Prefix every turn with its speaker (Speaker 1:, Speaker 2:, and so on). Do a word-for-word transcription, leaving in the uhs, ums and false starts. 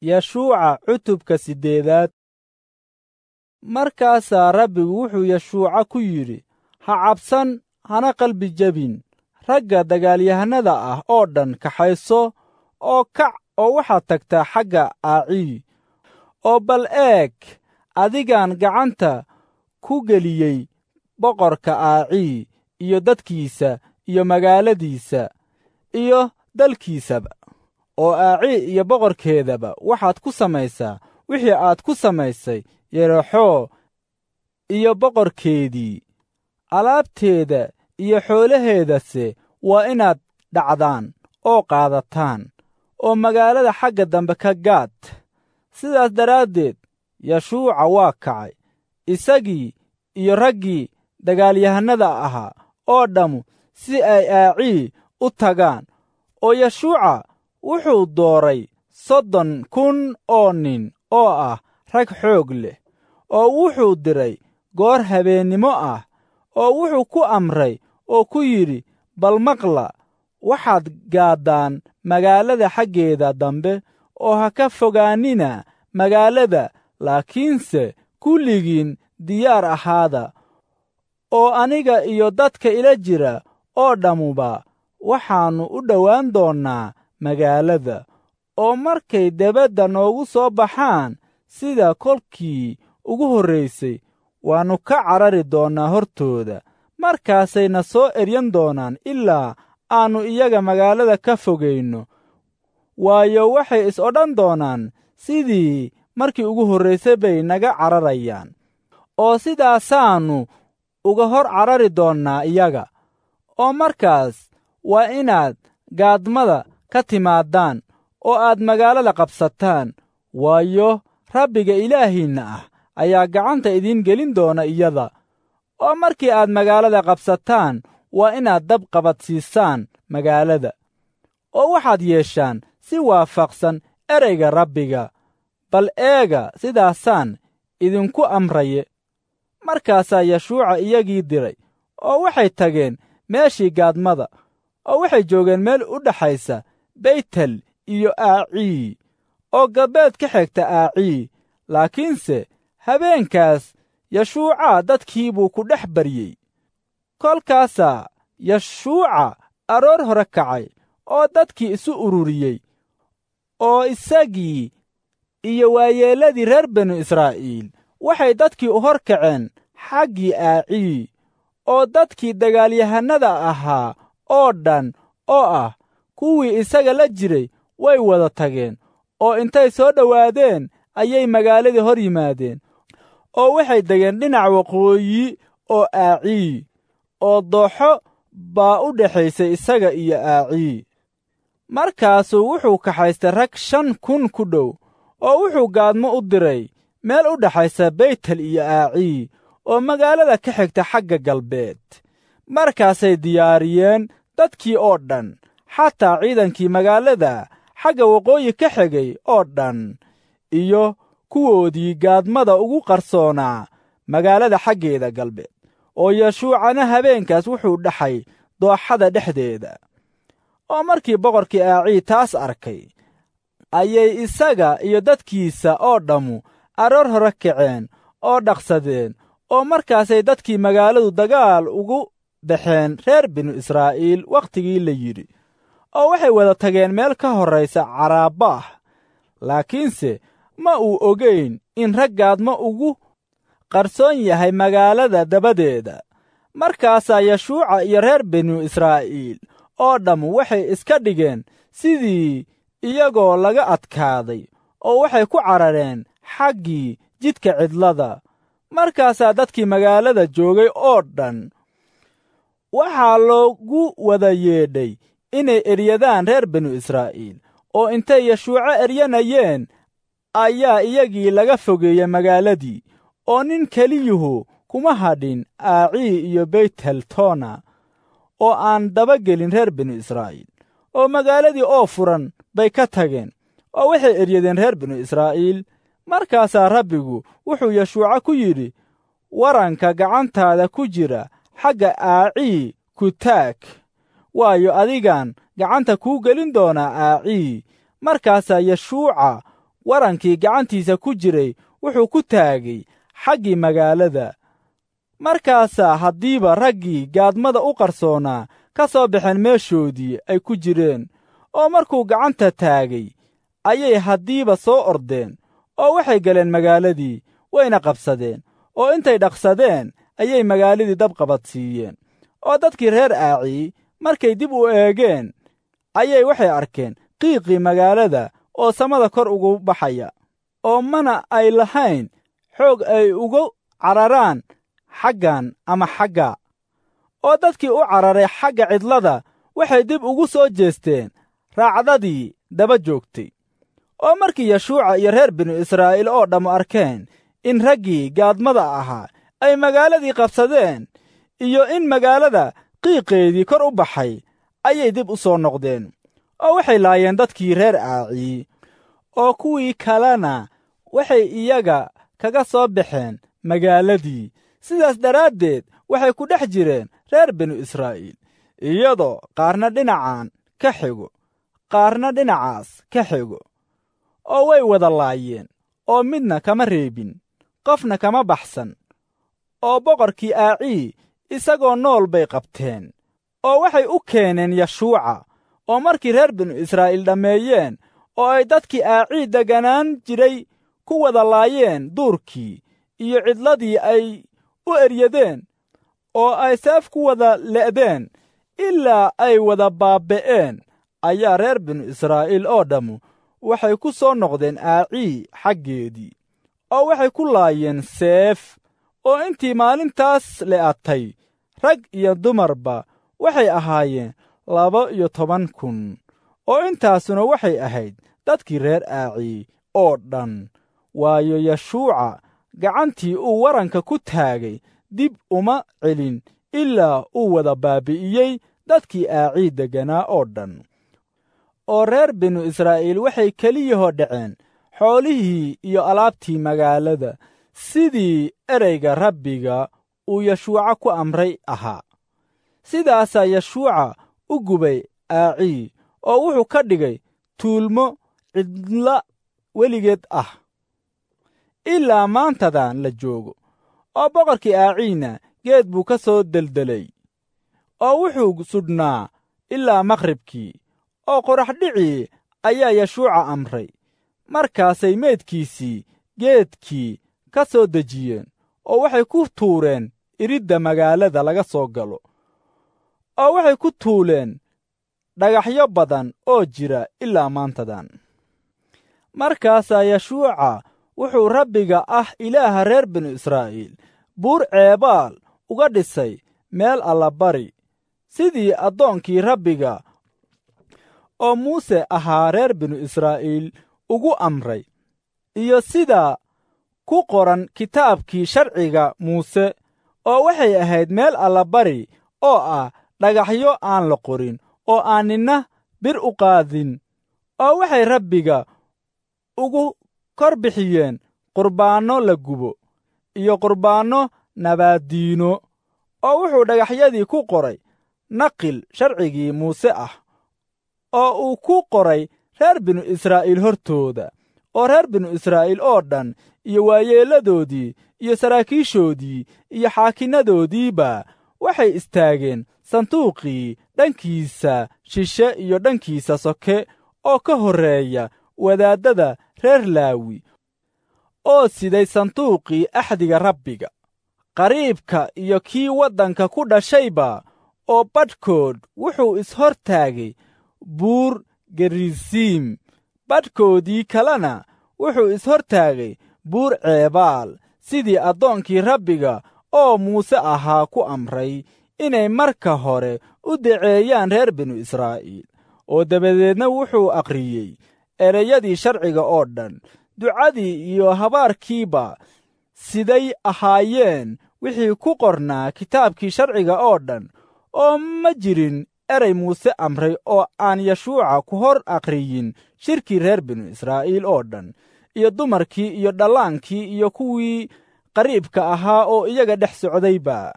Speaker 1: Yeshuuca cutubka siddeedaad. Markaasaa Rabbigu wuxuu Yeshuuca ku yidhi, ha cabsan, hana qalbi jebin. Ragga dagaalyahannada ah oo dhan kaxayso oo kac oo waxaad tagtaa xagga Aacii. Oo bal eeg, adigaan gacanta ku geliyey boqorka Aacii iyo dadkiisa iyo magaaladiisa iyo dalkiisaba. Oo Aacii iyo boqorkeedaba waxaad ku samaysaa wixii aad ku samaysay Yerixoo iyo boqorkeedii. Alaabteeda iyo xoolaheedase waa inaad dhacdaan oo qaadataan, oo magaalada xagga dambe ka gaad. Sidaas daraaddeed Yeshuuca waa kacay, isagii iyo raggii dagaalyahannada ahaa oo dhammu si ay Aacii u tagaan. Oo Yeshuuca wuxuu dooray soddon kun oo nin oo ah rag xoog leh, oo wuxuu diray goor habeennimo ah, oo wuxuu ku amray oo ku yidhi, bal maqla, waxaad gaaddaan magaalada xaggeeda dambe, oo ha ka fogaanina magaalada, laakiinse kulligiin diyaar ahaada, oo aniga iyo dadka ila jira oo dhammuba waxaannu u dhowaan doonnaa magaalada. Oo markay debadda noogu soo baxaan sida kolkii ugu horraysay, waannu ka carari doonnaa hortooda. Markaasay na soo eryan doonaan ilaa aannu iyaga magaalada ka fogayno, waayo, waxay is odhan doonaan, sidii markii ugu horraysay bay naga cararayaan. Oo sidaasaannu uga hor carari doonnaa iyaga. Oo markaas waa inaad gaadmada ka timaadaan oo aad magaalada qabsataan, waayo, Rabbiga Ilaahiinna ah ayaa gacanta idiin gelin doona iyada. Oo markii aad magaalada qabsataan, waa inaad dab qabadsiisaan magaalada, oo waxaad yeeshaan si waafaqsan ereyga Rabbiga. Bal eega, sidaasaan idinku amraye. Markaasaa Yeshuuca iyagii diray, oo waxay tageen meeshii gaadmada, oo waxay joogeen meel u dhaxaysa Beytel iyo Aacii, oo galbeed ka xigta Aacii. Laakiinse habeenkaas Yeshuuca dadkii buu ku dhex baryey. Kolkaasaa Yeshuuca aroor hore kacay oo dadkii isu ururiyey, oo isagii iyo waayeelladii reer binu Israa'iil waxay dadkii u hor kaceen xaggii Aacii, oo dadkii dagaalyahannada ahaa oo dhan oo ah kuwii isaga la jiray way wada tageen, oo intay soo dhowaadeen ayay magaaladii hor yimaadeen, oo waxay degeen dhinac waqooyi oo Aacii, oo dooxo baa u dhexaysay isaga iyo Aacii. Markaasuu wuxuu kaxaystay rag shan kun ku dhow, oo wuxuu gaadmo u diray meel u dhexaysa Beytel iyo Aacii, oo magaalada ka xigta xagga galbeed. Markaasay diyaariyeen dadkii oo dhan, xataa ciidankii magaalada xagga waqooyi ka xigay oo dhan, iyo kuwoodii gaadmada ugu qarsoonaa magaalada xaggeeda galbeed. Oo Yeshuucana habeenkaas wuxuu dhaxay dooxada dhexdeeda. Oo markii boqorkii Aacii taas arkay, ayay isaga iyo dadkiisa oo dhammu aroor hore kaceen oo dhaqsadeen, oo markaasay dadkii magaaladu dagaal ugu baxeen reer binu Israa'iil wakhtigii la yidhi, oo waxay wada tageen meel ka horraysa Caraabbaah. Laakiinse ma uu ogayn in rag gaadmo ugu qarsoon yahay magaalada dabadeeda. Markaasaa Yeshuuca iyo reer binu Israa'iil oo dhammu waxay iska dhigeen sidii iyagoo laga adkaaday, oo waxay ku carareen xaggii jidka cidlada. Markaasaa dadkii magaalada joogay oo dhan waxaa loogu wada yeedhay inay eryadaan reer binu Israa'iil, oo intay Yeshuuca eryanayeen ayaa iyagii laga fogeeyey magaaladii, oo nin keliyuhu kuma hadhin Aacii iyo Beytel toona, oo aan daba gelin reer binu Israa'iil. Oo magaaladii oo furan bay ka tageen, oo waxay eryadeen reer binu Israa'iil. Markaasaa Rabbigu wuxuu Yeshuuca ku yidhi, waranka gacantaada ku jira xagga Aacii ku taag, waayo, adigaan gacanta kuu gelin doonaa Aacii. Markaasaa Yeshuuca Warankii gacantiisa ku jiray wuxuu ku taagay xaggii magaalada. Markaasaa haddiiba raggii gaadmada u qarsoonaa ka soo baxeen meeshoodii ay ku jireen, oo markuu gacanta taagay ayay haddiiba soo ordeen, oo waxay galeen magaaladii, wayna qabsadeen, oo intay dhaqsadeen ayay magaaladii dab qabadsiiyeen. Oo dadkii reer Aacii markay dib u eegeen ayay waxay arkeen qiiqii magaalada oo samada kor ugu baxaya, oo mana ay lahayn xoog ay ugu cararaan xaggan ama xagga. Oo dadkii u cararay xagga cidlada waxay dib ugu soo jeesteen raacdadii daba joogtay. Oo markii Yashuuca iyo reer binu Israa'iil oo dhammu arkeen in raggii gaadmada ahaa ay magaaladii qabsadeen iyo in magaalada qiiqeedii kor u baxay, ayay dib u soo noqdeen, oo waxay laayeen dadkii reer Aacii, oo kuwii kalena waxay iyaga kaga soo baxeen magaaladii. Sidaas daraaddeed waxay ku dhex jireen reer binu Israa'iil, iyadoo qaarna dhinacan ka xigo, qaarna dhinacaas ka xigo, oo way wada laayeen, oo midna kama reebin, qofna kama baxsan. Oo boqorkii Aacii isagoo nool bay qabteen, oo waxay u keeneen Yashuuca. Oo markii reer binu Israa'iil dhammeeyeen oo ay dadkii Aacii degganaan jiray ku wada laayeen duurkii iyo cidladii ay u eryadeen, oo ay seef ku wada le'deen ilaa ay wada baaba'een, ayaa reer binu Israa'iil oo dhammu waxay ku soo noqdeen Aacii xaggeedii, oo waxay ku laayeen seef. Oo intii maalintaas le'atay rag iyo dumarba waxay ahaayeen laba iyo toban kun, oo intaasuna waxay ahayd dadkii reer Aacii oo dhan. Waayo, Yashuuca gacantii uu waranka ku taagay dib uma celin ilaa uu wada baabi'iyey dadkii Aacii degganaa oo dhan. Oo reer binu Israa'iil waxay keliyahoo dhaceen xoolihii iyo alaabtii magaalada, sidii ereyga Rabbiga uu Yashuuca ku amray ahaa. Sidaasaa Yashuuca u gubay Aacii, oo wuxuu ka dhigay tuulmo cidla weligeed ah ilaa maantadan la joogo. Oo boqorkii Aaciina geed buu ka soo deldelay, oo wuxuu sudhnaa ilaa maqribkii, oo qoraxdhicii ayaa Yashuuca amray. Markaasay meydkiisii geedkii ka soo dejiyeen, oo waxay ku tuureen iridda magaalada laga soo galo, oo waxay ku tuuleen dhagaxyo badan oo jira ilaa maantadan. Markaasaa Yashuuca wuxuu Rabbiga ah Ilaaha reer binu Israa'iil buur Ceebaal uga dhisay meel allabari, sidii addoonkii Rabbiga oo Muuse ahaa reer binu Israa'iil ugu amray, iyo sida ku qoran kitaabkii sharciga Muuse. Oo waxay ahayd meel allabari oo ah dhagaxyo aan la qorin, oo aan ninna bir u qaadin. Oo waxay Rabbiga ugu kor bixiyeen qurbaanno la gubo iyo qurbaanno nabaaddiino. Oo wuxuu dhagaxyadii ku qoray naqil sharcigii Muuse ah, oo uu ku qoray reer binu Israa'iil hortooda. Oo reer binu Israa'iil oo dhan iyo waayeelladoodii iyo saraakiishoodii iyo xaakinnadoodiiba waxay istaageen sanduuqii dhankiisa shishe iyo dhankiisa soke oo ka horreeya wadaaddada reer Laawi, oo siday sanduuqii axdiga Rabbiga. Qariibka iyo kii waddanka ku dhashayba, oo badhkood wuxuu is-hor taagay buur Gerisiim, badhkoodii kalena wuxuu is-hor taagay buur Ceebaal, sidii addoonkii Rabbiga oo Muuse ahaa ku amray inay marka hore u daceeyaan reer binu Israa'iil. Oo dabadeedna wuxuu akhriyey ereyadii sharciga oo dhan, ducadii iyo habaarkiiba siday ahaayeen wixii ku qornaa kitaabkii sharciga oo dhan. Oo ma jirin erey Muuse amray oo aan Yashuuca ku hor akhriyin shirkii reer binu Israa'iil oo dhan, iyo dumarkii iyo dhallaankii iyo kuwii qariibka ahaa oo iyaga dhex socdayba.